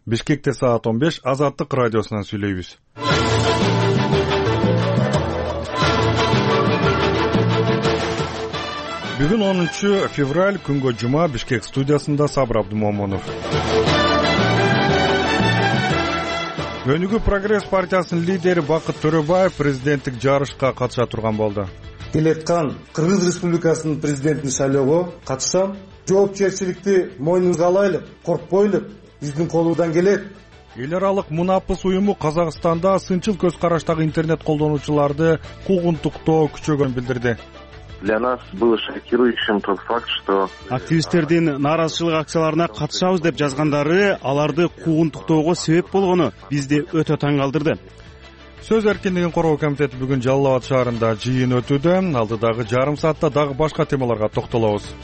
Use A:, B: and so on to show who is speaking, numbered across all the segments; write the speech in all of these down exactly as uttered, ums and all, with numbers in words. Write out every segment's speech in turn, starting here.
A: Бишкекте саат он беш, Азаттык радиосунан сүйлөйбүз. Бүгүн онунчу февраль, күнгө жума. Бишкек студиясында Сабыр Абдумомунов. Өнүгүү прогресс партиясынын лидери Бакыт Төрөбаев президенттик жарышка катыша турган болду.
B: Келаткан Кыргыз Республикасынын президентин шайлоого катышам. Жоопкерчиликти мойнубузга алайлы, коркпойлу. Биздин колубуздан келет.
A: Эл аралык мунапыс уюму Казакстанда сынчыл көз караштагы интернет колдонуучуларды куугунтуктоо күчөгөнүн билдирди.
C: Для нас был шокирующим тот факт, что
D: активисттердин нааразычылык акцияларына катышабыз деп жазгандары аларды куугунтуктоого себеп болгону бизди өтө таң калтырды.
A: Сөз эркиндигин коргоо комитети бүгүн Жалал Абад шаарында жыйын өтүүдө. Алдыдагы жарым саатта дагы башка темаларга токтолобуз.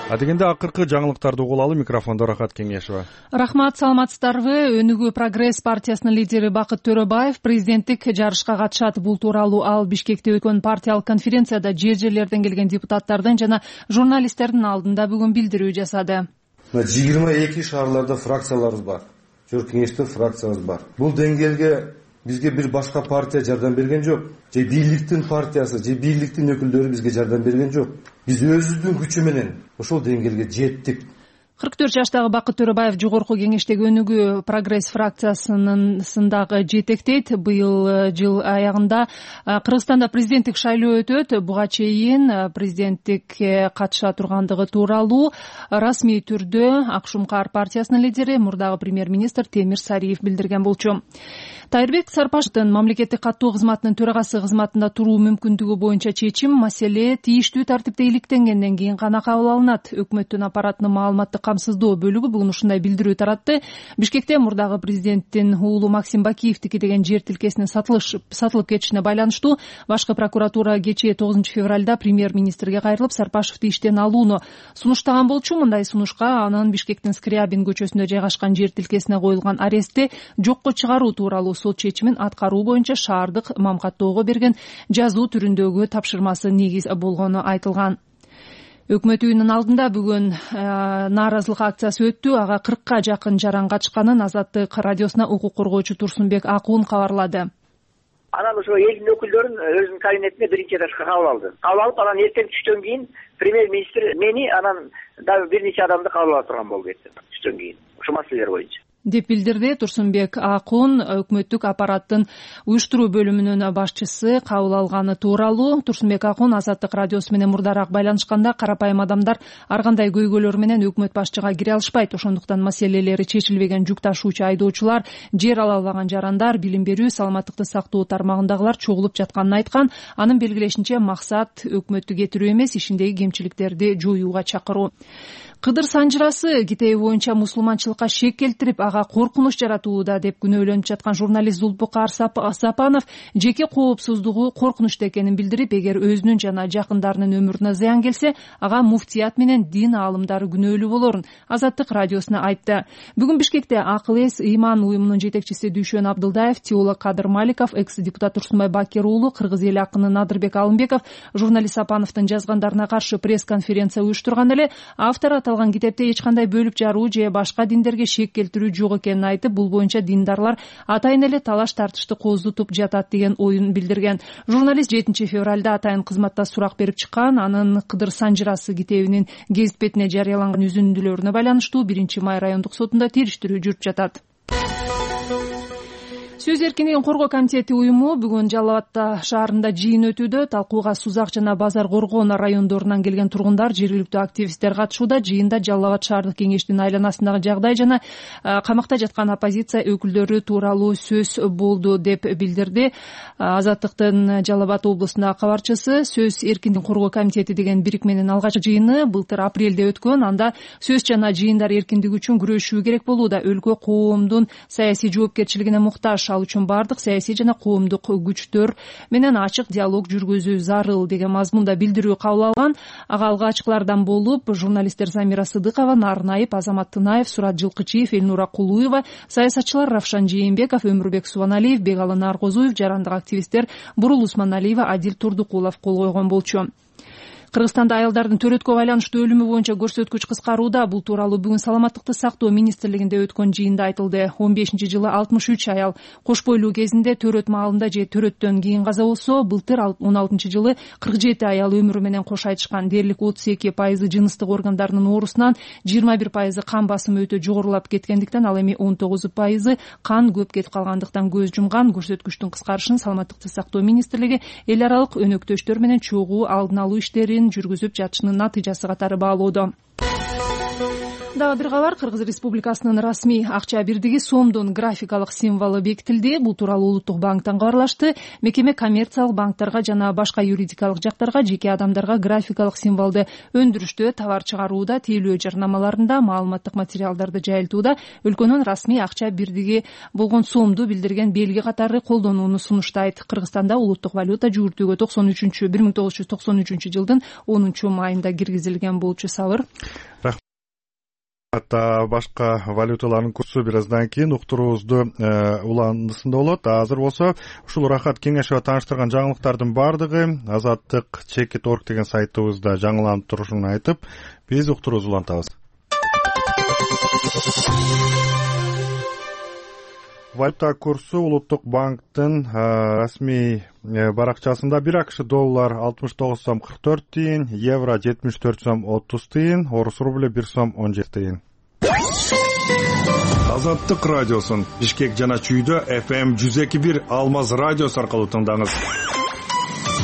A: Адегенде акыркы жаңылыктарды угулалы. Микрофондо Рахат Кеңешева.
E: Рахмат, саламатсыздарбы? Өнүгүү прогресс партиясынын лидери Бакыт Төрөбаев президенттик жарышка катышат. Бул тууралуу ал Бишкекте өткөн партиялык конференцияда жер жерлерден келген депутаттардын жана журналисттердин алдында бүгүн билдирүү жасады.
B: жыйырма эки шаарларда фракцияларыбыз бар. Жер кеңеште фракциябыз бар. Бул деңгээлге бизге бир башка партия жардам берген жок. Же бийликтин партиясы, же бийликтин өкүлдөрү бизге жардам берген жок. Биз өзүбүздүн күчү менен ошол деңгээлге жеттик.
E: кырк төрт жаштагы Бакыт Төрөбаев жогорку кеңештеги Өнүгүү прогресс фракциясынын сындагы жетектейт. Быйыл жыл аягында Кыргызстанда президенттик шайлоо өтөт. Буга чейин президенттикке катыша тургандыгы тууралуу расмий түрдө Акшумкар партиясынын лидери, мурдагы премьер-министр Темир Сариев билдирген болчу. Тайырбек Сарпашевдин мамлекеттик каттоо кызматынын төрагасы кызматында туруу мүмкүндүгү боюнча чечим маселе тийиштүү тартипте иликтенгенден кийин гана кабыл алынат. Өкмөттүн аппаратынын маалыматтык камсыздоо бөлүгү бүгүн ушундай билдирүү таратты. Бишкекте мурдагы президенттин уулу Максим Бакиевдики деген жер тилкесинин сатылып кетишине байланыштуу башкы прокуратура кечээ тогузунчу февралда премьер-министрге кайрылып, Сарпашевди иштен алууну сунуштаган болчу. Мындай сунушка анын Бишкектин Скрябин көчөсүндө жайгашкан жер тилкесине коюлган арестти жокко чыгаруу тууралуу сот чечимин аткаруу боюнча шаардык мамкаттоого берген жазуу түрүндөгү тапшырмасы негиз болгону айтылган. Өкмөт үйүнүн алдында бүгүн нааразылык акциясы өттү. Ага кыркка жакын жаран катышканын Азаттык радиосуна укук коргоочу Турсунбек Акун кабарлады.
F: Анан ошо элдин өкүлдөрүн өзүнүн кабинетине биринчи этажга кабыл алды. Кабыл алып, анан эртең түштөн кийин премьер-министр мени, анан дагы бир нече адамды кабыл ала турган болуп кетти түштөн кийин. Ошо маселелер боюнча деп билдирди Турсунбек Акун. Өкмөттүк аппараттын уюштуруу бөлүмүнүн башчысы кабыл алганы тууралуу. Турсунбек Акун Азаттык радиосу менен мурдараак байланышканда карапайым адамдар ар кандай көйгөйлөр менен өкмөт башчыга кире алышпайт. Ошондуктан маселелери чечилбеген жүк ташуучу айдоочулар, жер ала албаган жарандар, билим берүү, саламаттыкты сактоо тармагындагылар чогулуп жатканын айткан. Анын белгилешинче максат өкмөттү кетирүү эмес, ишиндеги кемчиликтерди жоюуга чакыруу. Кыдыр Санжырасы Китеби боюнча мусулманчылыкка шек келтирип, ага коркунуч жаратууда деп күнөөлөнүп жаткан журналист Зулпукар Сапанов жеке коопсуздугу коркунучта экенин билдирип, эгер өзүнүн жана жакындарынын өмүрүнө зыян келсе, ага муфтият менен дин аалымдары күнөөлүү болорун Азаттык радиосуна айтты. Бүгүн Бишкекте Акыл эс ыйман уюмунун жетекчиси Дүйшөн Абдылдаев, теолог Кадыр Маликов, экс-депутат Турсунбай Бакир уулу, кыргыз эл акыны Надырбек Алымбеков журналист Сапановдун жазгандарына каршы пресс-конференция уюштурган эле. Автор аталган китепте эч кандай бөлүп жаруу же башка диндерге шек келтирүү жок экенин айтып, бул боюнча диндарлар атайын эле талаш тартышты кооздотуп жатат деген оюн билдирген. Журналист жетинчи февралда атайын кызматта сурак берип чыккан. Анын Кыдыр Санжырасы китебинин гезит бетине жарыяланган үзүндүлөрүнө байланыштуу биринчи май райондук сотунда териштирүү жүрүп жатат. Сөз эркиндигин коргоо комитети уюму бүгүн Жалал Абад шаарында жыйын өтүүдө. Талкууга Сузак жана Базар Коргон райондорунан келген тургундар, жергиликтүү активисттер катышууда. Жыйында Жалал Абад шаардык кеңештин айланасындагы жагдай жана камакта жаткан оппозиция өкүлдөрү тууралуу сөз болду деп билдирди Азаттыктын Жалал Абад облусундагы кабарчысы. Сөз эркиндигин коргоо комитети деген бирикменин алгачкы жыйыны былтыр апрелде өткөн. Анда сөз жана жыйындар эркиндиги үчүн күрөшүү керек болууда. Өлкө коомдун саясий жоопкерчилигине муктаж. Ал үчүн бардык саясий жана коомдук күчтөр менен ачык диалог жүргүзүү зарыл деген мазмунда билдирүү кабыл алган. Ага алгачкылардан болуп журналисттер Замира Сыдыкова, Нарнаев, Азамат Тынаев, Сурат Жылкычиев, Элнура Кулуева, саясатчылар Равшан Жээнбеков, Өмүрбек Субаналиев, Бегалы Наркозуев, жарандык активисттер Бурул Усманалиева, Адил Турдукулов кол койгон болчу.
E: Кыргызстанда аялдардын төрөткө байланыштуу өлүмү боюнча көрсөткүч кыскарууда. Бул тууралуу бүгүн Саламаттыкты сактоо министрлигинде өткөн жыйында айтылды. он бешинчи жылы алтымыш үч аял кош бойлуу кезинде төрөт маалында же төрөттөн кийин каза болсо, былтыр он алтынчы жылы кырк жети аял өмүрү менен кош айтышкан. Дээрлик отуз эки пайызы жыныстык органдарынын оорусунан, жыйырма бир пайызы кан басымы өтө жогорулап кеткендиктен, ал эми он тогуз пайызы кан көп кетип калгандыктан көз жумган. Көрсөткүчтүн кыскарышын Саламаттыкты сактоо министрлиги эл аралык өнөктөштөр менен чогуу алдын алуу иштерин жүргүзүп жатышынын натыйжасы катары баалоодо. Дагы бир кабар. Кыргыз Республикасынын расмий акча бирдиги сомдун графикалык символу бекитилди. Бул тууралуу Улуттук банктан кабарлашты. Мекеме коммерциялык банктарга жана башка юридикалык жактарга жеке адамдарга графикалык символду өндүрүштө, товар чыгарууда, тейлөө жарнамаларында, маалыматтык материалдарды жайылтууда өлкөнүн расмий акча бирдиги болгон сомду билдирген белги катары колдонууну сунуштайт. Кыргызстанда улуттук валюта жүгүртүүгө токсон үчүнчү бир миң тогуз жүз токсон үчүнчү жылдын онунчу майында киргизилген болчу. Сабыр.
A: Ата башка валюталардын курсу бир аздан кийин уктуруубузду уландысында болот. Азыр болсо ушул Рахат кеңешева тааныштырган жаңылыктардын баардыгы Азаттык чекит точка орг деген сайтыбызда жаңыланып турушун айтып, биз уктуруубузду улантабыз. Валюта курсу Улуттук банктын расмий баракчасында бир АКШ доллар алтымыш тогуз сом кырк төрт тыйын, евро жетимиш төрт сом отуз тыйын, орус рубль бир сом он жети тыйын. Азаттык радиосун Бишкек жана Чүйдө эф эм жүз эки бир Алмаз радиосу аркылуу тыңдаңыз.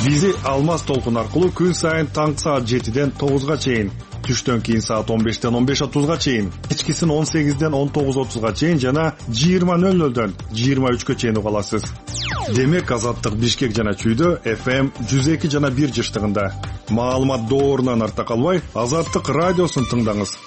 A: Бизи Алмаз толкун аркылуу күн сайын таңкы саат жетиден тогузга чейин, түштөн кийин саат он бештен он беш отузга чейин, кечкисин он сегизден он тогуз отузга чейин жана жыйырма нөл нөлдөн жыйырма үчкө чейин уга аласыз. Демек Азаттык Бишкек жана Чүйдө эф эм жүз эки жана бир жыштыгында. Маалымат доорунан артта калбай, Азаттык радиосун тыңдаңыз.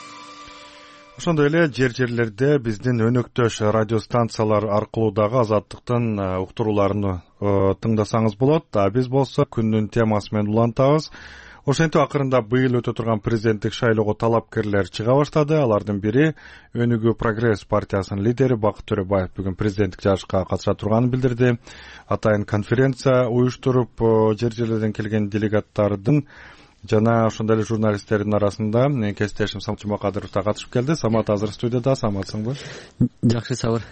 A: Ошондой эле жер жерлерде биздин өнөктөш радиостанциялар аркылуу дагы Азаттыктын уктурууларын тыңдасаңыз болот. А биз болсо күндүн темасы менен улантабыз. Ошентип акырында быйыл өтө турган президенттик шайлоого талапкерлер чыга баштады. Алардын бири Өнүгүү Прогресс партиясынын лидери Бакыт Төрөбаев бүгүн президенттик жарышка катыша турганын билдирди. Атайын конференция уюштуруп, жер жерлерден келген делегаттардын жана ошондой эле журналисттердин арасында менин кесиптешим Самат Жумакадыров да катышып келди. Самат азыр студияда. Саматсыңбы?
G: Жакшы, Сабыр.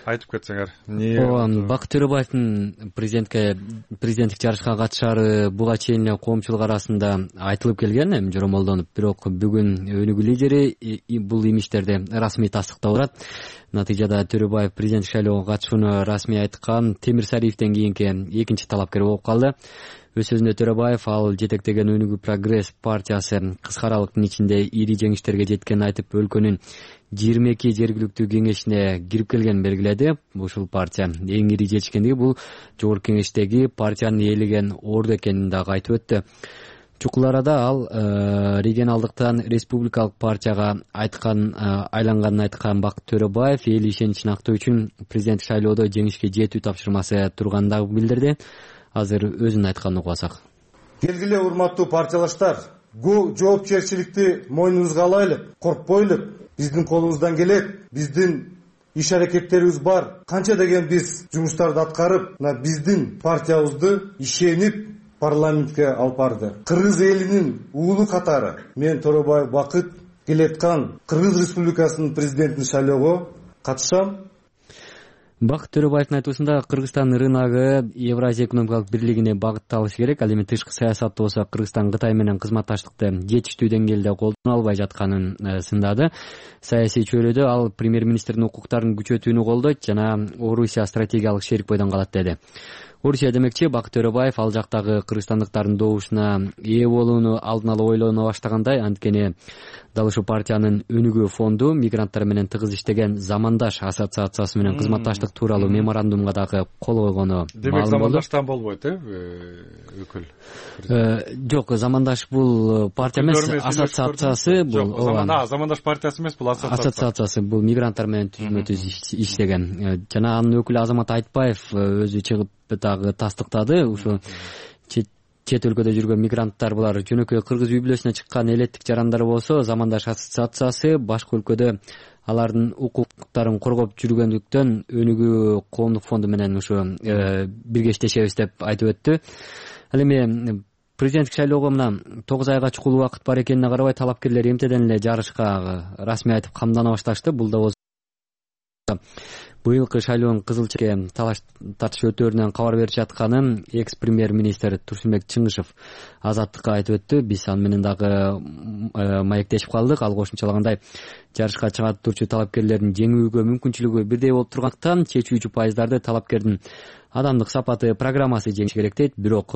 A: Айтып кетсеңер.
G: Ооба, Бакыт Төрөбаевдин президентке президенттик жарышка катышары буга чейин эле коомчулук арасында айтылып келген, эми жоромолдонуп, бирок бүгүн өнүгүү лидери бул имиштерди расмий тастыктап турат. Натыйжада Төрөбаев президенттик шайлоого катышууну расмий айткан Темир Сариевден кийинки экинчи талапкер болуп калды. Өз сөзүндө Төрөбаев ал жетектеген Өнүгүү Прогресс партиясы кыска аралыктын ичинде ири жеңиштерге жеткенин айтып, өлкөнүн жыйырма эки жергиликтүү кеңешине кирип келгенин белгиледи. Ушул партия эң ири жетишкендиги бул жогорку кеңештеги партиянын ээлеген орду экенин дагы айтып өттү. Чукул арада ал регионалдыктан республикалык партияга айткан айланганын айткан Бакыт Төрөбаев эл ишеничин актоо үчүн президенттик шайлоодо жеңишке жетүү тапшырмасы турганын дагы билдирди. Азыр өзүн айтканын угасак.
B: Келгиле урматтуу партиялаштар, жоопкерчиликти мойнубузга алайлы, коркпойлу. Биздин колубуздан келет, биздин иш аракеттерибиз бар. Канча деген биз жумуштарды аткарып, мына биздин партиябызды ишенип парламентке алып барды. Кыргыз элинин уулу катары мен Төрөбаев Бакыт келеткан Кыргыз Республикасынын президентин шайлоого катышам.
G: Бакыт Төрөбаевдин айтуусунда Кыргызстан рыногу Евразия экономикалык бирлигине багытталышы керек. Ал эми тышкы саясатта болсо Кыргызстан Кытай менен кызматташтыкты жетиштүү деңгээлде колдоно албай жатканын сындады. Саясий чөйрөдө ал премьер-министрдин укуктарын күчөтүүнү колдойт жана Орусия стратегиялык шерик бойдон калат деди. Орусия демекчи, Бакыт Төрөбаев ал жактагы кыргызстандыктардын добушуна ээ болууну алдын ала ойлоно баштагандай, анткени дал ушул партиянын Өнүгүү фонду мигранттар менен тыгыз иштеген Замандаш ассоциациясы менен кызматташтык тууралуу меморандумга дагы кол койгону.
A: Демек Замандаштан болбойт, э, өкүл?
G: Жок, Замандаш бул партия эмес, ассоциациясы бул.
A: Жок, Замандаш партиясы эмес, бул ассоциация.
G: Ассоциациясы бул мигранттар менен түзмө-түз иштеген. Жана анын өкүлү Азамат Айтбаев өзү чыгып дагы тастыктады. Ушу чет өлкөдө жүргөн мигранттар булар жөнөкөй кыргыз үй бүлөсүнө чыккан элеттик жарандар болсо, Замандаш ассоциациясы башка өлкөдө алардын укуктарын коргоп жүргөндүктөн Өнүгүү коомдук фонду менен ушу бирге иштешебиз деп айтып өттү. Ал эми президенттик шайлоого мына тогуз айга чукул убакыт бар экенине карабай талапкерлер эмтеден эле жарышка расмий айтып камдана башташты. Бул да болсо быйылкы шайлоонун кызыл чекке талаш тартыш өтөөрүнөн кабар берип жатканын экс премьер министр Турсунбек Чыңгышев Азаттыкка айтып өттү. Биз аны менен дагы маектешип калдык. Ал кошумчалагандай, жарышка чыгат турчу талапкерлердин жеңүүгө мүмкүнчүлүгү бирдей болуп тургандыктан чечүүчү пайыздарды талапкердин адамдык сапаты, программасы жеңиш керек дейт. Бирок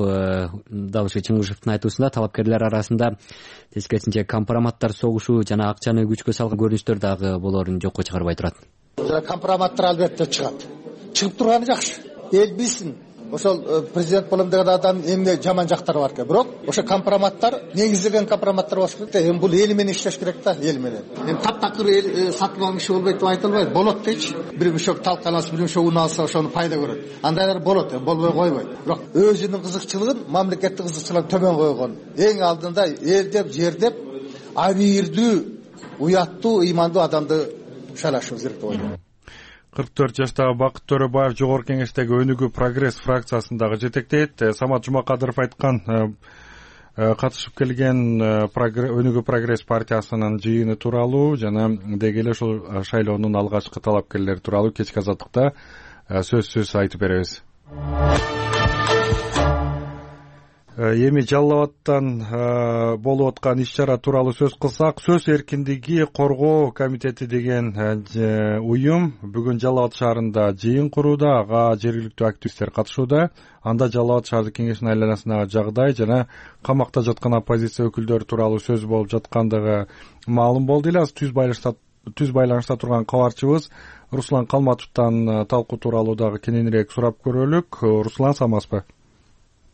G: дал ушул Чыңгышевдин айтуусунда талапкерлер арасында тескерисинче компроматтар согушу жана акчаны күчкө салган көрүнүштөр дагы болоорун жокко чыгарбай турат.
H: Компроматтар албетте чыгат. Чыгып турганы жакшы. Эл билсин. Ошол президент болом деген адам эмне жаман жактары бар экен. Бирок ошо компроматтар, негизделген компроматтар болуш керек да. Эми бул эл менен иштеш керек да, эл менен. Эми таптакыр эл сатып алган киши болбойт деп айта албайм. Болот дейчи. Бир мишок талканасы, бир мишок уну алса ошону пайда көрөт. Андайлар болот, эми болбой койбойт. Бирок өзүнүн кызыкчылыгын, мамлекеттик кызыкчылыгын төмөн койгон. Эң алдында эл деп, жер деп абийирдүү, уяттуу, ыймандуу адамды шайлашыбыз керек деп ойлойм.
A: кырк төрт жаштагы Бакыт Төрөбаев жогорку кеңештеги Өнүгүү Прогресс фракциясындагы жетектейт. Самат Жумакадыров айткан катышып келген Өнүгүү Прогресс партиясынын жыйыны тууралуу жана деги эле ушул шайлоонун алгачкы талапкерлери тууралуу кечки азаттыкта сөзсүз айтып беребиз. Эми Жалал Абадтан болуп аткан иш-чара тууралуу сөз кылсак, Сөз эркиндиги коргоо комитети деген уюм бүгүн Жалал Абад шаарында жыйын курууда, ага жергиликтүү активисттер катышууда. Анда Жалал Абад шаардык кеңешинин айланасындагы жагдай жана камакта жаткан оппозиция өкүлдөрү тууралуу сөз болуп жаткандыгы маалым болду эле. Аз түз байланышта түз байланышта турган кабарчыбыз Руслан Калматовдон талкуу тууралуу дагы кененирээк сурап көрөлүк. Руслан, саламатсызбы?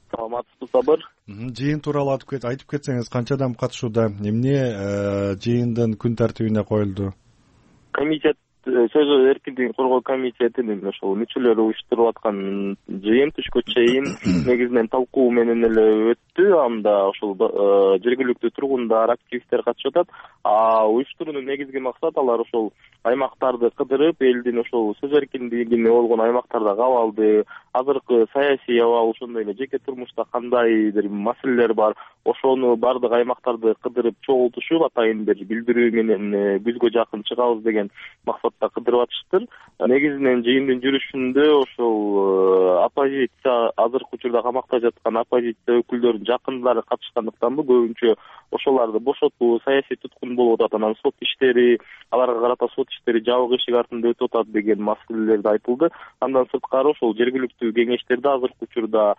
I: Саламатсызбы, Сабыр.
A: Жыйын тууралуу айтып кетсеңиз, канча адам катышууда, эмне жыйындын күн тартибине коюлду?
I: Комитет, сөз эркиндигин коргоо комитетинин ошол мүчөлөрү уюштуруп аткан жыйын түшкө чейин негизинен талкуу менен эле өттү. Анда ошол жергиликтүү тургундар, активисттер катышып атат. А уюштуруунун негизги максаты алар ошол аймактарды кыдырып, элдин ошол сөз эркиндигине болгон аймактардагы абалды, азыркы саясий абал, ошондой эле жеке турмушта кандайдыр маселелер бар, ошону бардык аймактарды кыдырып чогултушуп, атайын бир билдирүү менен күзгө жакын чыгабыз деген максатта кыдырып атыштыр. Негизинен жыйындын жүрүшүндө ошол оппозиция, азыркы учурда камакта жаткан оппозиция өкүлдөрүнүн жакындары катышкандыктан бу көбүнчө ошолорду бошотуу, саясий туткун болуп атат, анан сот иштери, аларга карата сот иштери жабык эшик артында өтүп атат деген маселелерди айтылды. Андан сырткары ошол жергиликтүү кеңештерде азыркы учурда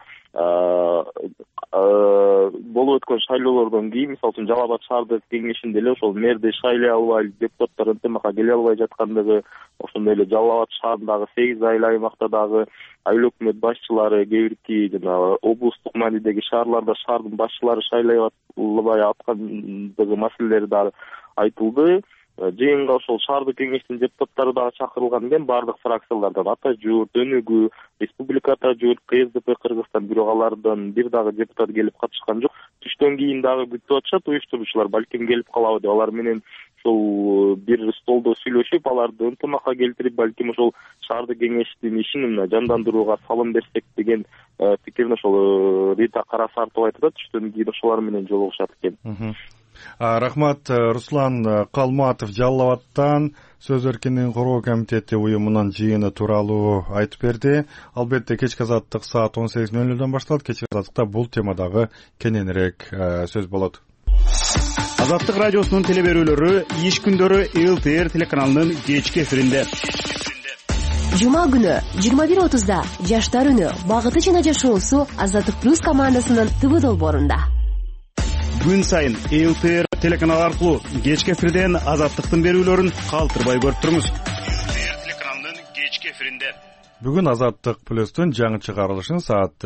I: болуп өткөн шайлоолордон кийин, мисалы үчүн Жалал Абад шаардык кеңешинде эле ошол мэрди шайлай албай, депутаттар ынтымакка келе албай жаткандыгы, ошондой эле Жалал Абад шаарындагы сегиз айыл аймакта дагы айыл өкмөт башчылары, кээ бирки жана облустук маанидеги шаарларда шаардын башчылары шайлай албай аткандыгы маселелери дагы айтылды. Жыйынга ошол шаардык кеңештин депутаттары дагы чакырылган экен, бардык фракциялардан, Ата Журт, Өнүгүү, Республика Ата Журт, К С Д П Кыргызстан, бирок алардан бир дагы депутат келип катышкан жок. Түштөн кийин дагы күтүп атышат уюштуруучулар, балким келип калабы деп. Алар менен ошол бир столдо сүйлөшүп, аларды ынтымакка келтирип, балким ошол шаардык кеңештин ишин жандандырууга салым берсек деген пикирин ошол Рита Карасартова айтып атат. Түштөн кийин ошолар менен жолугушат экен.
A: Рахмат. Руслан Калматов Жалал Абадтан Сөз эркиндигин коргоо комитети уюмунун жыйыны тууралуу айтып берди. Албетте кечки азаттык саат он сегиз ноль нолдон башталат. Кечки азаттыкта бул темадагы кененирээк сөз болот.
D: Азаттык радиосунун теле берүүлөрү иш күндөрү Эл Т Р телеканалынын кечки эфиринде.
J: Жума күнү жыйырма бир отузда Жаштар үнү багыты жана жашоосу Азаттык плюс командасынын Т В долбоорунда.
D: Күн сайын Эл Т Р телеканалы аркылуу кечки эфирден Азаттыктын берүүлөрүн калтырбай көрүп туруңуз. Эл Т Р телеканалынын кечки эфиринде.
A: Бүгүн Азаттык плюстун жаңы чыгарылышын саат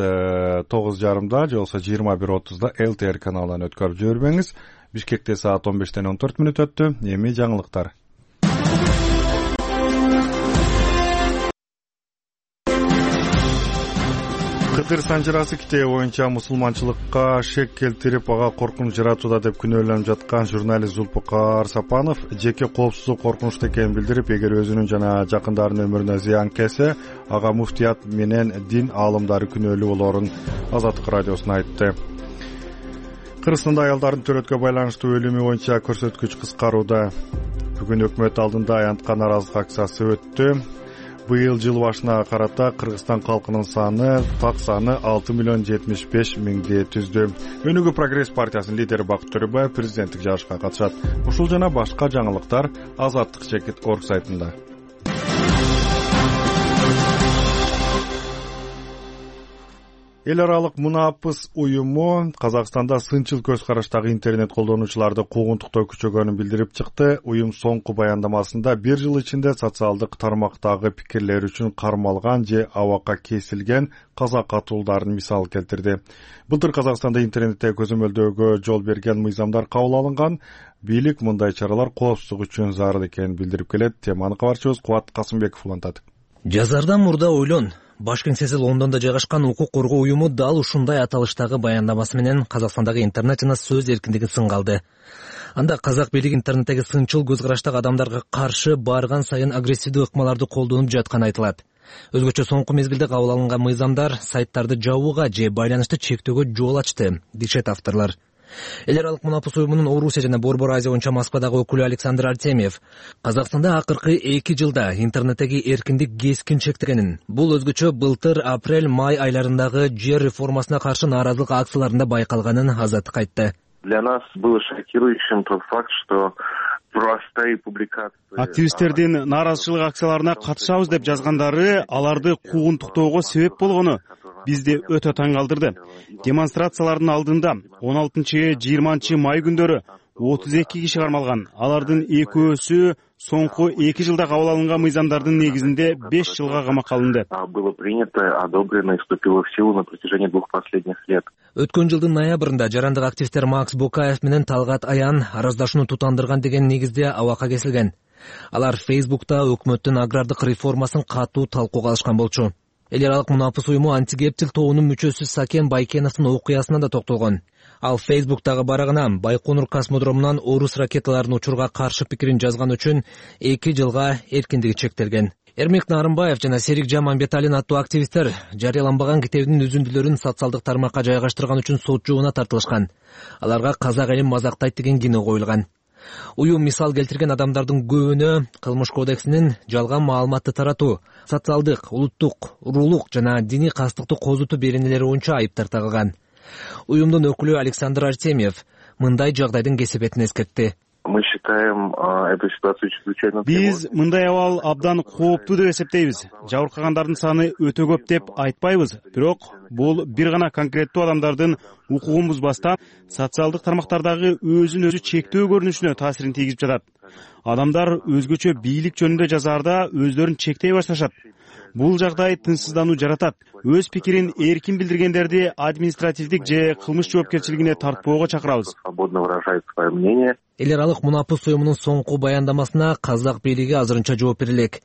A: тогуз жарымда же болбосо жыйырма бир отузда Эл Т Р каналынан өткөрүп жибербеңиз. Бишкекте саат он бештен он төрт мүнөт өттү. Эми жаңылыктар. Кытыр санжырасы китеби боюнча мусулманчылыкка шек келтирип, ага коркунуч жаратууда деп күнөөлөнүп жаткан журналист Зулпукар Сапанов жеке коопсуздук коркунучта экенин билдирип, эгер өзүнүн жана жакындарынын өмүрүнө зыян келсе, ага муфтият менен дин аалымдары күнөөлүү болоорун Азаттык радиосуна айтты. Кыргызстанда аялдардын төрөткө байланыштуу өлүмү боюнча көрсөткүч кыскарууда. Бүгүн өкмөт алдында аянтка нааразылык акциясы өттү. Быйыл жыл башына карата Кыргызстан калкынын саны так саны алты миллион жетимиш беш миңди түздү. Өнүгүү прогресс партиясынын лидери Бакыт Төрөбаев президенттик жарышка катышат. Ушул жана башка жаңылыктар Азаттык чекит орг сайтында. Эл аралык мунапыс уюму Казакстанда сынчыл көз караштагы интернет колдонуучуларды куугунтуктоо күчөгөнүн билдирип чыкты. Уюм соңку баяндамасында бир жыл ичинде социалдык тармактагы пикирлер үчүн кармалган же абакка кесилген казак катуулдарын мисал келтирди. Былтыр Казакстанда интернетте көзөмөлдөөгө жол берген мыйзамдар кабыл алынган. Бийлик мындай чаралар коопсуздук үчүн зарыл экенин билдирип келет. Теманы кабарчыбыз Кубат Касымбеков улантат.
K: Жазардан мурда ойлон. Баш кеңсеси Лондондо жайгашкан укук коргоо уюму дал ушундай аталыштагы баяндамасы менен Казакстандагы интернет жана сөз эркиндигин сынга алды. Анда казак бийлиги интернеттеги сынчыл көз караштагы адамдарга каршы барган сайын агрессивдүү ыкмаларды колдонуп жатканы айтылат. Өзгөчө соңку мезгилде кабыл алынган мыйзамдар сайттарды жабууга же байланышты чектөөгө жол ачты, дешет авторлор. Эл аралык мунапыс уюмунун Орусия жана Борбор Азия боюнча Москвадагы өкүлү Александр Артемьев Казакстанда акыркы эки жылда интернеттеги эркиндик кескин чектелгенин, бул өзгөчө былтыр апрель-май айларындагы жер реформасына каршы нааразылык акцияларында байкалганын Азаттык айтты.
C: Для нас было шокирующим тот факт, что простые публикации...
D: Активисттердин нааразычылык акцияларына катышабыз деп жазгандары аларды куугунтуктоого себеп болгону бизди өтө таң калтырды. Демонстрациялардын алдында он алтынчы жыйырманчы май күндөрү отуз эки киши кармалган. Алардын экөөсү соңку эки жылда кабыл алынган мыйзамдардын негизинде беш жылга камакка алынды.
C: Было принято, одобрено и вступило в силу на протяжении двух последних лет.
K: Өткөн жылдын ноябрында жарандык активисттер Макс Бокаев менен Талгат Аян араздашууну тутандырган деген негизде абакка кесилген. Алар Фейсбукта өкмөттүн агрардык реформасын катуу талкууга алышкан болчу. Эл аралык мунапыс уюму антигептил тобунун мүчөсү Сакен Байкеновдун окуясына да токтолгон. Ал Фейсбуктагы барагына Байконур космодромунан орус ракеталарын учурга каршы пикирин жазган үчүн эки жылга эркиндиги чектелген. Эрмек Нарымбаев жана Серик Жаманбеталин аттуу активисттер жарыяланбаган китебинин үзүндүлөрүн социалдык тармакка жайгаштырган үчүн сот жообуна тартылышкан. Аларга казак элин мазактайт деген кино коюлган. Уюм мисал келтирген адамдардын көбүнө Кылмыш кодексинин жалган маалыматты таратуу, социалдык, улуттук, уруулук жана диний кастыктуу козутуу беренелери боюнча айыптар тагылган. Уюмдун өкүлү Александр Артемьев мындай жагдайдын кесепетин эскертти.
C: Мы считаем эту ситуацию чрезвычайно...
D: Биз мындай абал абдан кооптуу деп эсептейбиз. Жабыркагандардын саны өтө көп деп айтпайбыз, бирок бул бир гана конкреттүү адамдардын укугун бузбастан социалдык тармактардагы өзүн өзү чектөө көрүнүшүнө таасирин тийгизип жатат. Адамдар өзгөчө бийлик жөнүндө жазаарда өздөрүн чектей башташат. Бул жагдай тынчсыздануу жаратат. Өз пикирин эркин билдиргендерди административдик же кылмыш жоопкерчилигине тартпоого чакырабыз.
C: Свободно выражает свое мнение.
K: Эл аралык мунапыс уюмунун соңку баяндамасына казак бийлиги азырынча жооп бере элек.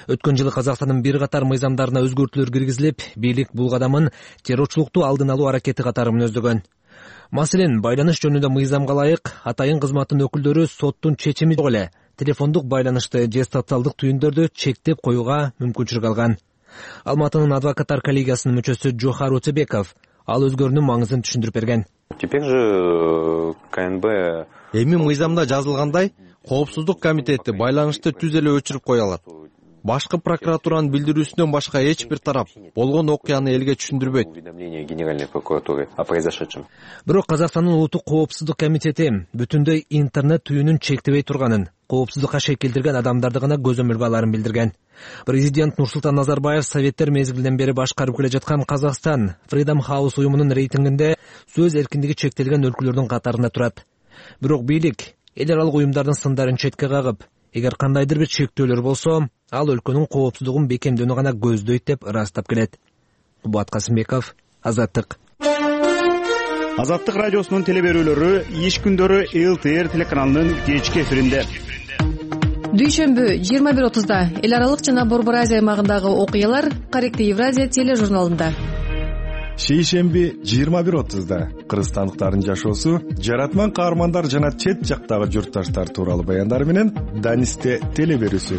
K: Өткөн жылы Казакстандын бир катар мыйзамдарына өзгөртүүлөр киргизилип, бийлик бул кадамын террорчулукту алдын алуу аракети катары мүнөздөгөн. Маселен, байланыш жөнүндө мыйзамга ылайык атайын кызматтын өкүлдөрү соттун чечими жок эле телефондук байланышты же социалдык түйүндөрдү чектеп коюуга мүмкүнчүлүк алган. Алматынын адвокаттар коллегиясынын мүчөсү Жохар Утебеков ал өзгөрүүнүн маңызын түшүндүрүп берген.
L: Теперь же КНБ
M: эми мыйзамда жазылгандай, коопсуздук комитети байланышты түз эле өчүрүп кое алат. Башкы прокуратуранын билдирүүсүнөн башка эч бир тарап болгон окуяны элге түшүндүрбөйт.
K: Бирок Казакстандын улуттук коопсуздук комитети бүтүндөй интернет түйүнүн чектебей турганын, коопсуздукка шек келтирген адамдарды гана көзөмөлгө аларын билдирген. Президент Нурсултан Назарбаев советтер мезгилинен бери башкарып келе жаткан Казакстан Freedom House уюмунун рейтингинде сөз эркиндиги чектелген өлкөлөрдүн катарында турат. Бирок бийлик эл аралык уюмдардын сындарын четке кагып, эгер кандайдыр бир чектөөлөр болсо, ал өлкөнүн коопсуздугун бекемдөөнү гана көздөйт деп ырастап келет. Кубат Касымбеков, Азаттык.
D: Азаттык радиосунун телеберүүлөрү иш күндөрү эл тэ эр телеканалынын кечки эфиринде.
J: Дүйшөмбү жыйырма бир отузда эл аралык жана Борбор Азия аймагындагы окуялар Корректный Евразия тележурналында.
A: Шейшемби жыйырма бир отузда кыргызстандыктардын жашоосу, жаратман каармандар жана чет жактагы журтташтар тууралуу баяндар менен Данисте телеберүүсү.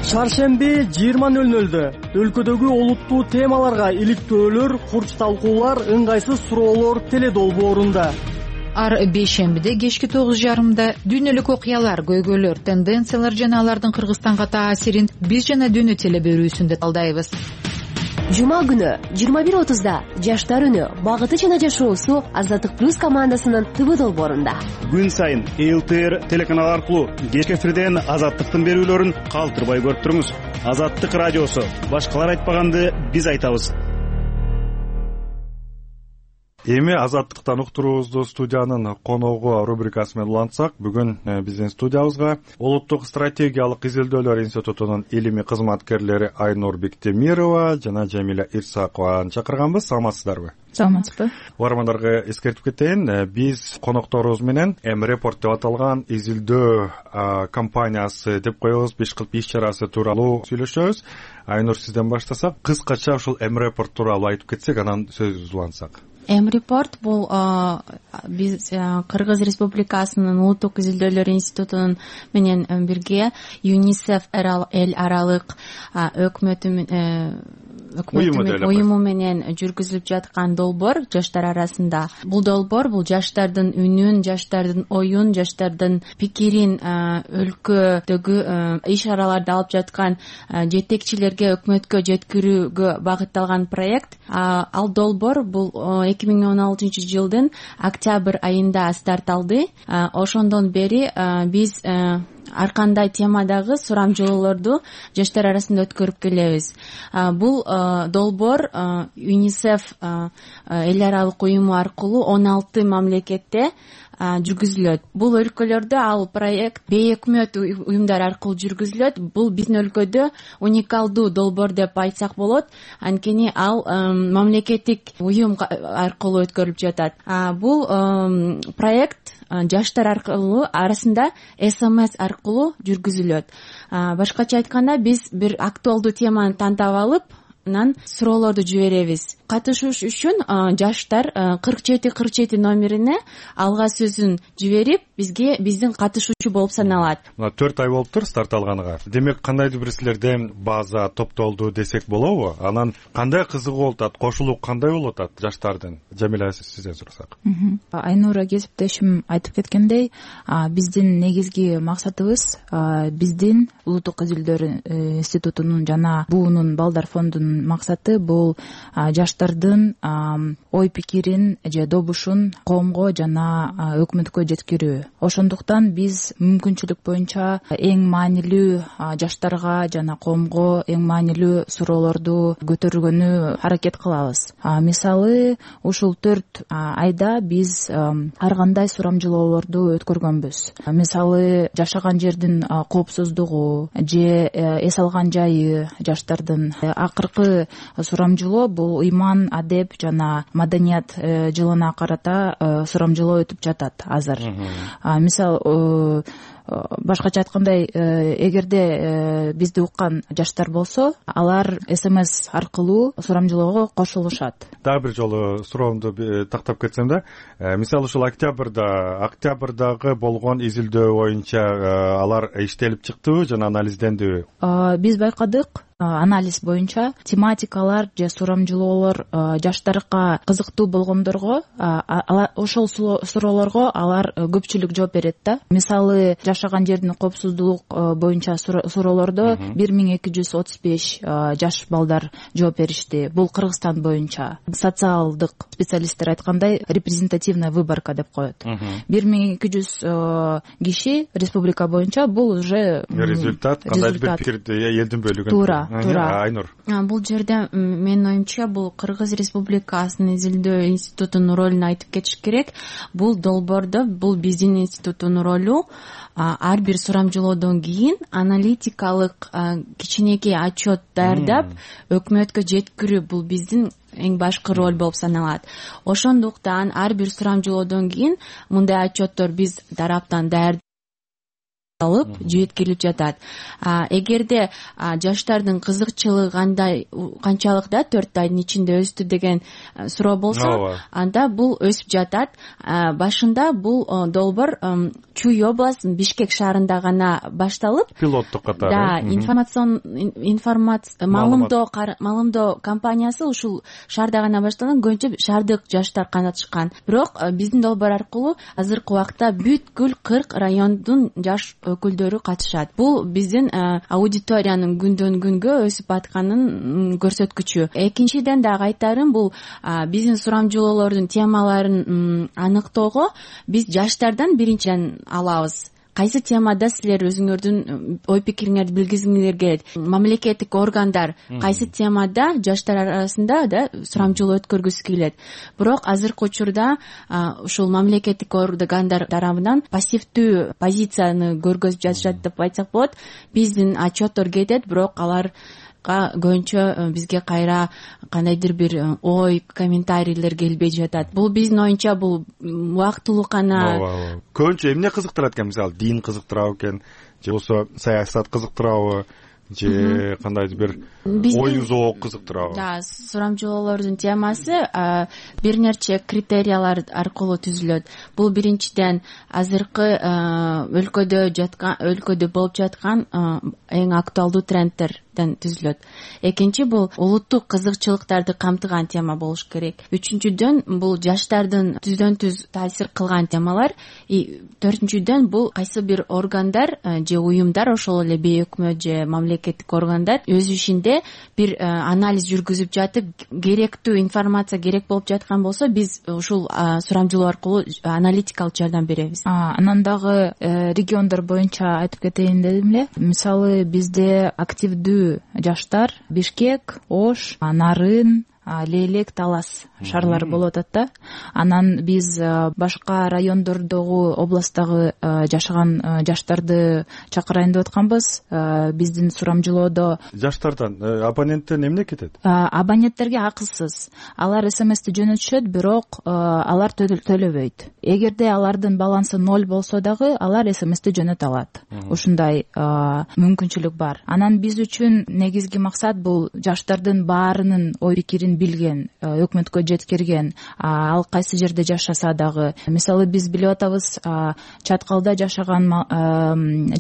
N: Шаршемби жыйырма нөл нөлдө өлкөдөгү олуттуу темаларга иликтөөлөр, курч талкуулар, ыңгайсыз суроолор теледолбоорунда.
O: ар бейшембиде кечки тогуз жарымда дүйнөлүк окуялар, көйгөйлөр, тенденциялар жана алардын Кыргызстанга таасирин биз жана дүйнө теле берүүсүндө талдайбыз.
J: Жума күнү жыйырма бир отузда жаштар үнү багыты жана жашоосу Азаттык плюс командасынын ТВ долбоорунда.
D: Күн сайын Эл Т Р телеканалы аркылуу кечки эфирден Азаттыктын берүүлөрүн калтырбай көрүп туруңуз. Азаттык радиосу. Башкалар айтпаганды биз айтабыз.
A: Эми Азаттыктан уктуруубузду студиянын коногу рубрикасы менен улантсак, бүгүн биздин студиябызга Улуттук стратегиялык изилдөөлөр институтунун илимий кызматкерлери Айнур Бектемирова жана Жамиля Ирсакованы чакырганбыз. Саламатсыздарбы?
P: Саламатсызбы.
A: Угармандарга эскертип кетейин, биз конокторубуз менен М Report деп аталган изилдөө компаниясы деп коебуз, беш кылып иш чарасы тууралуу сүйлөшөбүз. Айнур, сизден баштасак, кыскача ушул М Report тууралуу айтып кетсек, анан сөзүбүздү улантсак.
P: М Report бул биз Кыргыз Республикасынын Улуттук изилдөөлөр институтунун менен бирге ЮНИСЕФ эл аралык өкмөтү уюму менен жүргүзүлүп жаткан долбоор жаштар арасында. Бул долбоор бул жаштардын үнүн, жаштардын оюн, жаштардын пикирин өлкөдөгү иш чараларды алып жаткан жетекчилерге, өкмөткө жеткирүүгө багытталган проект. Ал долбоор бул эки миң он алтынчы жылдын октябрь айында старт алды. Ошондон бери биз ар кандай темадагы сурамжылоолорду жаштар арасында өткөрүп келебиз. Бул долбоор ЮНИСЕФ эл аралык уюму аркылуу он алты мамлекетте жүргүзүлөт. Бул өлкөлөрдө ал проект бейөкмөт уюмдар аркылуу жүргүзүлөт. Бул биздин өлкөдө уникалдуу долбоор деп айтсак болот. Анткени ал мамлекеттик уюм аркылуу өткөрүлүп жатат. Бул проект жаштар аркылуу арасында эс эм эс аркылуу жүргүзүлөт. Башкача айтканда, биз бир актуалдуу теманы тандап алып, анан суроолорду жиберебиз. Катышуш үчүн жаштар кырк жети кырк жети номерине алга сөзүн жиберип, бизге биздин катышуучу болуп саналат.
A: Мына төрт ай болуптур старт алганыга. Демек, кандайдыр бир силерден база топтолду десек болобу? Анан кандай кызыгуу болуп атат, кошулуу кандай болуп атат жаштардын? Жамиля, сизден сурасак.
P: Айнура кесиптешим айтып кеткендей, биздин негизги максатыбыз биздин Улуттук изилдөөр институтунун жана буунун Балдар фондунун максаты бул жаштардын ой пикирин же добушун коомго жана өкмөткө жеткирүү. Ошондуктан биз мүмкүнчүлүк боюнча эң маанилүү жаштарга жана коомго эң маанилүү суроолорду көтөргөнү аракет кылабыз. Мисалы, ушул төрт айда биз ар кандай сурамжылоолорду өткөргөнбүз. Мисалы, жашаган жердин коопсуздугу же эс алган жайы жаштардын. Акыркы сурамжылоо бул ыйман, адеп жана маданият жылына карата сурамжылоо өтүп жатат азыр. Мисалы, башкача айткандай, эгерде бизди уккан жаштар болсо, алар эс эм эс аркылуу сурамжылоого кошулушат.
A: Дагы бир жолу суроомду тактап кетсем да, мисалы ушул октябрда, октябрдагы болгон изилдөө боюнча алар иштелип чыктыбы жана анализдендиби?
P: Биз байкадык, анализ боюнча тематикалар же сурамжылоолор жаштарга кызыктуу болгондорго, ошол суроолорго алар көпчүлүк жооп берет да. Мисалы, жашаган жердин коопсуздук боюнча суроолордо бир миң эки жүз отуз беш жаш балдар жооп беришти. Бул Кыргызстан боюнча. Социалдык специалисттер айткандай, репрезентативная выборка деп коет. бир миң эки жүз киши республика боюнча, бул уже
A: результат, кандайдыр бир пикирди элдин бөлүгүн.
P: Туура, туура.
A: Айнур.
P: Бул жерде менин оюмча бул Кыргыз Республикасынын изилдөө институтунун ролун айтып кетиш керек. Бул долбоордо бул биздин институттун ролу ар бир сурамжылоодон кийин аналитикалык кичинекей отчет даярдап өкмөткө жеткирүү бул биздин эң башкы роль болуп саналат. Ошондуктан ар бир сурамжылоодон кийин мындай отчеттор биз тараптан даярдап алып жеткирилип жатат. Эгерде жаштардын кызыкчылыгы кандай канчалык да төрт айдын ичинде өстү деген суроо болсо, анда бул өсүп жатат. Башында бул долбоор Чуй областынын Бишкек шаарында гана башталып,
A: пилоттук катары.
P: Да, информацион информация маалымдоо маалымдоо компаниясы ушул шаарда гана башталган, көбүнчө шаардык жаштар катышкан. Бирок биздин долбоор аркылуу азыркы убакта бүткүл кырк райондун жаш өкүлдөрү катышат. Бул биздин аудиториянын күндөн күнгө өсүп атканын көрсөткүчү. Экинчиден дагы айтарым, бул биздин сурамжылоолордун темаларын аныктоого биз жаштардан биринчиден алабыз. Кайсы темада силер өзүңөрдүн ой пикириңерди билгизгиңер келет? Мамлекеттик органдар кайсы темада жаштар арасында да сурамжылоо өткөргүсү келет? Бирок азыркы учурда ушул мамлекеттик органдар тарабынан пассивдүү позицияны көргөзүп жатышат деп айтсак болот. Биздин отчеттор кетет, бирок алар көбүнчө бизге кайра кандайдыр бир ой, комментарийлер келбей жатат. Бул биздин оюнча бул убактылуу гана.
A: Көбүнчө эмне кызыктырат экен? Мисалы, дин кызыктырабы экен, же болбосо саясат кызыктырабы, же кандайдыр бир ой зоок кызыктырабы?
P: Да, сурамжылоолордун темасы бир нече критериялар аркылуу түзүлөт. Бул биринчиден азыркы өлкөдө жаткан, өлкөдө болуп жаткан эң актуалдуу трендтерден түзүлөт. Экинчи, бул улуттук кызыкчылыктарды камтыган тема болуш керек. Үчүнчүдөн, бул жаштардын түздөн түз таасир кылган темалар. Төртүнчүдөн, бул кайсы бир органдар же уюмдар, ошол эле бейөкмөт же мамлекеттик органдар өз ишинде бир анализ жүргүзүп жатып, керектүү информация керек болуп жаткан болсо, биз ушул сурамжылоо аркылуу аналитикалык жардам беребиз.
Q: Анан дагы региондор боюнча айтып кетейин дедим эле. Мисалы, бизде активдүү жаштар Бишкек, Ош, Нарын, Лейлек, Талас шаарлары болуп атат да. Анан биз башка райондордогу, областтагы жашаган жаштарды чакырайын деп атканбыз. Биздин сурамжылоодо
A: жаштардан, абоненттен эмне кетет?
Q: Абоненттерге акысыз. Алар смсти жөнөтүшөт, бирок алар төлөбөйт. Эгерде алардын балансы ноль болсо дагы, алар смсти жөнөтө алат. Ушундай мүмкүнчүлүк бар. Анан биз үчүн негизги максат бул жаштардын баарынын ой пикирин билген, өкмөткө жеткирген, ал кайсы жерде жашаса дагы. Мисалы, биз билип атабыз, чаткалда жашаган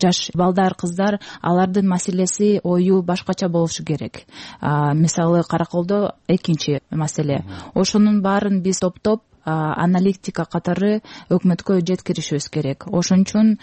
Q: жаш балдар, кыздар, алардын маселеси, ою башкача болушу керек. Мисалы, Караколдо экинчи маселе. Ошонун баарын биз топтоп аналитика катары өкмөткө жеткиришибиз керек. Ошон үчүн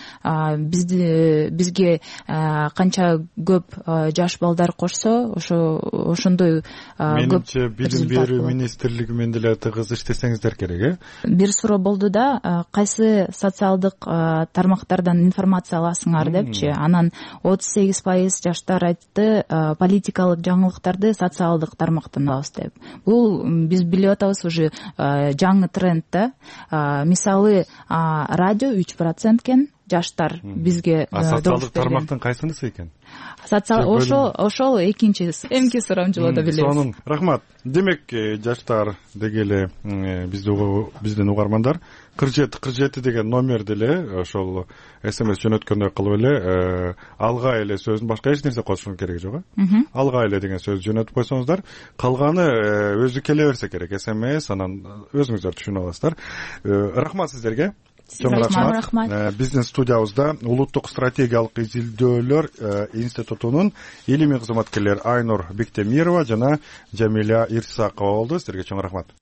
Q: бизге канча көп жаш балдар кошсо, ошо ошондой көп.
A: Менимче билим берүү министрлиги менен деле тыгыз иштесеңиздер керек, э?
Q: Бир суроо болду да, кайсы социалдык тармактардан информация аласыңар депчи. Анан отуз сегиз пайыз жаштар айтты, политикалык жаңылыктарды социалдык тармактан алабыз деп. Бул биз билип атабыз, уже жаңы тренд да. Мисалы, радио үч процент экен, жаштар бизге
A: социалдык тармактын кайсынысы экен?
Q: Социал ошол ошол экинчи эмки сурамжылоодо билебиз.
A: Сонун рахмат. Демек, жаштар дегеле биздин угармандар кырк жети кырк жети деген номер деле ошол смс жөнөткөндөй кылып эле алга эле сөзүн, башка эч нерсе кошушун кереги жок, э? Алга эле деген сөз жөнөтүп койсоңуздар, калганы өзү келе берсе керек. смс, анан өзүңүздөр түшүнүп аласыздар. Рахмат сиздерге. Чоң рахмат. Биздин студиябызда улуттук стратегиялык изилдөөлөр институтунун илимий кызматкерлери Айнур Бектемирова жана Жамиля Ирсакова болду. Сиздерге чоң рахмат.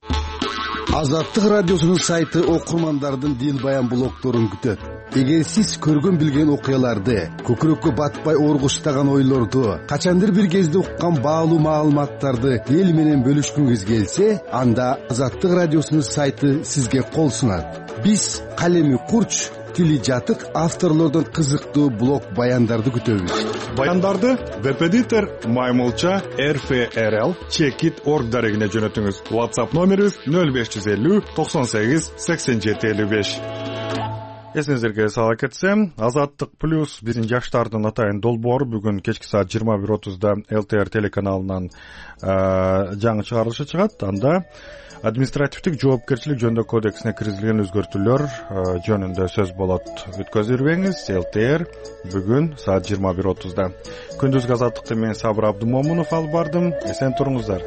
R: Азаттык радиосунун сайты окурмандардын дил баян блогторун күтөт. Эгер сиз көргөн билген окуяларды, көкүрөккө батпай оргуштаган ойлорду, качандыр бир кезде уккан баалуу маалыматтарды эл менен бөлүшкүңүз келсе, анда Азаттык радиосунун сайты сизге кол сунат. Биз калеми курч, тили жатык авторлордон кызыктуу блог баяндарды күтөбүз.
A: Баяндарды веб-эдитор Маймылча эр эф эр эл чекит точка орг дарегине жөнөтүңүз. WhatsApp номерибиз нөл беш жүз элүү токсон сегиз сексен жети элүү беш. Эсиңиздерге сала кетсем, Азаттык плюс биздин жаштардын атайын долбоору бүгүн кечки саат жыйырма бир отузда эл тэ эр телеканалынан жаңы чыгарылышы чыгат. Анда административдик жоопкерчилик жөнүндө кодексине киргизилген өзгөртүүлөр жөнүндө сөз болот. Өткөзүрбеңиз, эл тэ эр бүгүн саат жыйырма бир отузда. Күндүзгү Азаттыкты мен Сабыр Абдымомунов алып бардым. Эсен туруңуздар.